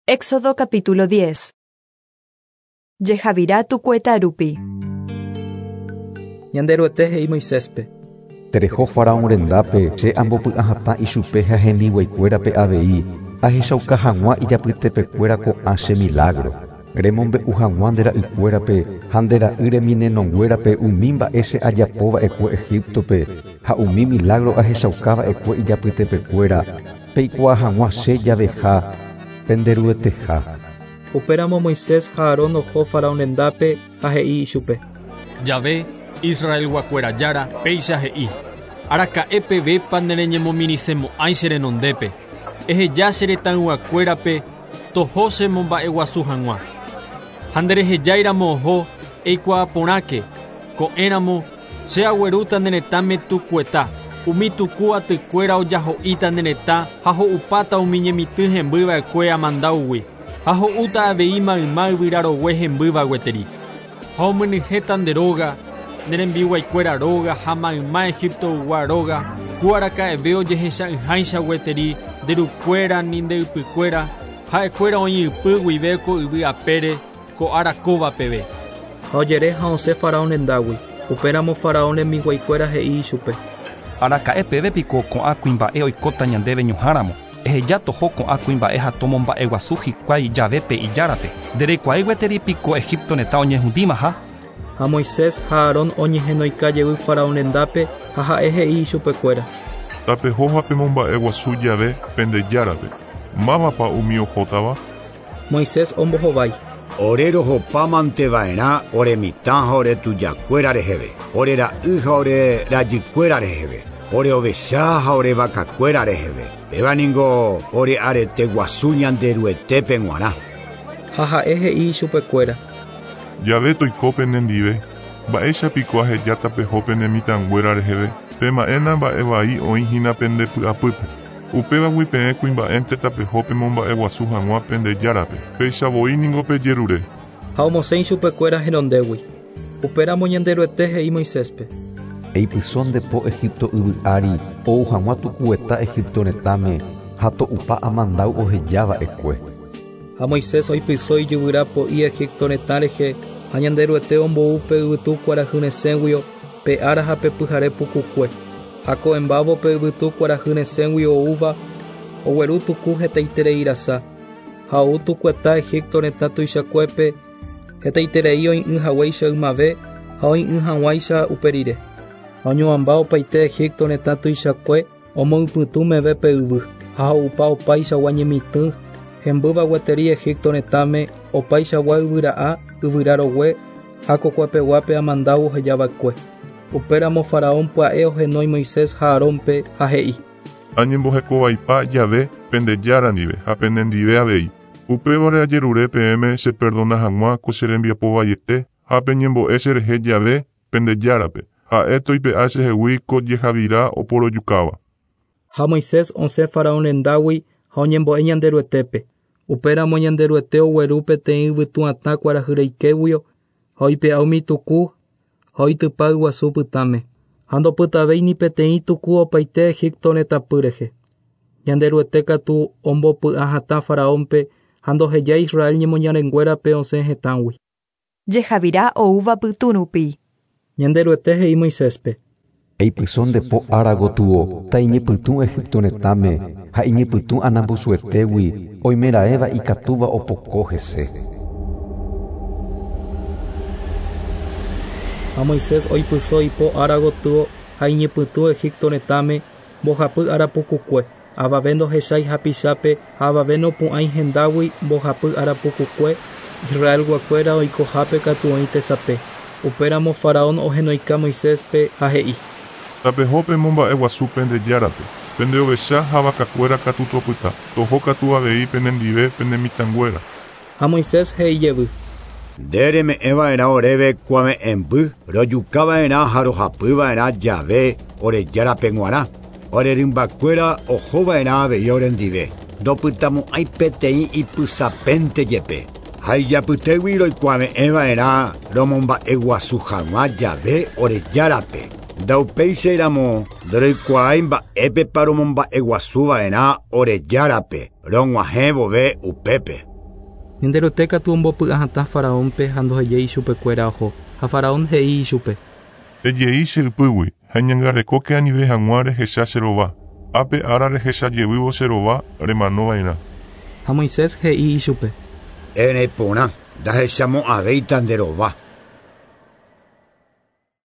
Éxodo capítulo 10. Jehavira tukueta rupi. Ñanderuete he'i Moiséspe. Tereho faraón rendápe che ambopy'ahatã ichupe ha hembiguaikuérape avei ahechauka hag̃ua ijapytepekuéra ko'ã che milagro. Remombe'u hag̃ua nde ra'ykuérape ha nde ra'y reminenonguérape umi mba'e che ajapova'ekue Egiptope ha umi milagro ahechaukava'ekue ijapytepekuéra peikuaa hag̃ua che javeha penderueteha. Upéramo Moisés ha Aarón oho faraón rendápe ha he'i ichupe. Yahvé, Israelguakuéra Jára, péicha he'i. Araka'e pevépa nereñemomirĩsemo'ãi che renondépe. Eheja che retãyguakuérape toho chemomba'eguasu hag̃ua. Ha nderehejáiramo oho eikuaa porãke, ko'ẽramo che aguerúta ne retãme tukueta, umi tuku atykuéra ojaho'íta ne retã ha ho'upáta umi ñemitỹ hembyva'ekue amandáugui ha ho'úta avei mayma yvyrarogue hembýva gueteri. Ha omyenyhẽta nde róga, ne rembiguaikuéra róga ha mayma Egiptoygua róga, ku araka'eve ojehecha'ỹháicha gueteri nderukuéra ni nde ypykuéra, ha'ekuéra oĩ ypy guive ko yvy apére ko ára kóva peve. Ha ojere ha osẽ faraón rendágui. Upéramo faraón rembiguaikuéra he'i ichupe. Araka'e peve piko ko'ã kuimba'e oikóta ñandéve ñuhãramo. Eheja toho ko'ã kuimba'e ha tomomba'eguasu hikuái javépe ijárape. Ndereikuaái gueteri piko Egipto retã oñehundímaha. Ha Moisés ha Aarón oñehenoika jey faraón rendápe ha ha'e he'i ichupekuéra. Tapeho ha pemomba'eguasu jave pende járape. Mávapa umi ohótava? Moisés ombohovái. Ore rohopámanteva'erã ore mitã ha ore tujakuéra reheve, ore ra'y ha ore rajykuéra reheve, ore ovecha ha ore vakakuéra reheve. Péva ningo ore arete guasu Ñanderuetépe g̃uarã. Ha ha'e he'i ichupekuéra. Jave toiko penendive. Mba'éicha piko ahejáta peho pene mitãnguéra reheve. Pema'ẽna mba'e vai oĩhína pende py'apýpe. Upévagui peẽ kuimba'énte tapeho pemomba'eguasu hag̃ua pende járape. Péicha voi ningo pejerure. Ha omosẽ ichupekuéra henondégui. Upéramo Ñanderuete he'i Moiséspe. Eipyso nde po Egipto yvy ári ou hag̃ua tukueta Egipto retãme ha to'upa amandáu ohejava'ekue. Ha Moisés oipyso ijyvyra po'i Egipto retã rehe ha Ñanderuete ombou pe yvytu kuarahyresẽguio pe ára ha pe pyhare pukukue. Ha ko'ẽmbávo pe yvytu kuarahyresẽgui oúva ogueru tuku hetaitereirasa. Ha ou tukueta Egipto retã tuichakuépe hetaiterei oĩ'ỹ haguéicha ymave ha oĩ'ỹ hag̃uáicha upe rire. Ha oñuãmba opaite Egipto retã tuichakue omoypytũ meve pe yvy ha ho'upa opaichagua ñemitỹ hembýva gueteri Egipto retãme opaichagua yvyra'a yvyrarogue ha kokuepeguápe amandáu ohejava'ekue. Upéramo faraón pya'e ohenói Moisés ha Aarónpe ha he'i. Añembohekovaipa jave pende Jára ndive ha penendive avei. Upévare ajerure peẽme cheperdona hag̃ua ko che rembiapo vaiete ha peñembo'e cherehe jave pende Járape. Ha'e toipe'a chehegui ko jehavira oporojukáva. Ha Moisés osẽ faraón rendágui ha oñembo'e Ñanderuetépe. Upéramo Ñanderuete ogueru peteĩ yvytu'atã kuarahyreikéguio ha oipe'a umi tuku ha oitypa yguasu pytãme. Ha ndopytavéi ni peteĩ tuku opaite Egipto retãpy rehe. Ñanderuete katu ombopy'ahatã faraónpe ha ndohejái Israel ñemoñarenguérape osẽ hetãgui. Jehavira oúva pytũ rupi. Ñanderuete he'i Moiséspe. Eipyso nde po ára gotyo taiñepytũ Egipto retãme ha iñepytũ anambusuetégui oimeraẽva ikatúva opoko hese. Ha Moisés oipyso ipo ára gotyo ha iñepytũ Egipto retãme mbohapy ára pukukue. Avave ndohechái hapichápe ha avave nopu'ãi hendágui mbohapy ára pukukue Israelguakuéra oikohápe katu oĩ tesape. Upéramo faraón ohenoika Moiséspe ha he'i. Tapeho pemomba'eguasu pende Járape. Pende ovecha ha vakakuéra katu topyta. Toho katu avei penendive pene mitãnguéra. Ha Moisés he'i jevy. Nde reme'ẽva'erã oréve kuave'ẽmby rojukava'erã ha rohapyva'erã jave ore Járape g̃uarã. Ore rymbakuéra ohova'erã avei orendive. Ndopytamo'ãi peteĩ ipysapénte jepe. Ha ijapytégui roikuave'ẽva'erã romomba'eguasu hag̃ua jave ore Járape. Ndaupéichairamo ndoroikuaái mba'épepa romomba'eguasuva'erã ore Járape rog̃uahẽ vove upépe. Ñanderuete katu ombopy'ahatã Faraónpe ha ndohejái ichupekuéra oho. Ha Faraón he'i ichupe. Ejei che ypýgui ha eñangarekóke anive hag̃ua rehecha che rova. Ápe ára rehecha jevývo che rova remanova'erã. Ha Moisés he'i ichupe. Ereporã, ndahechamo'ãvéita nde rova.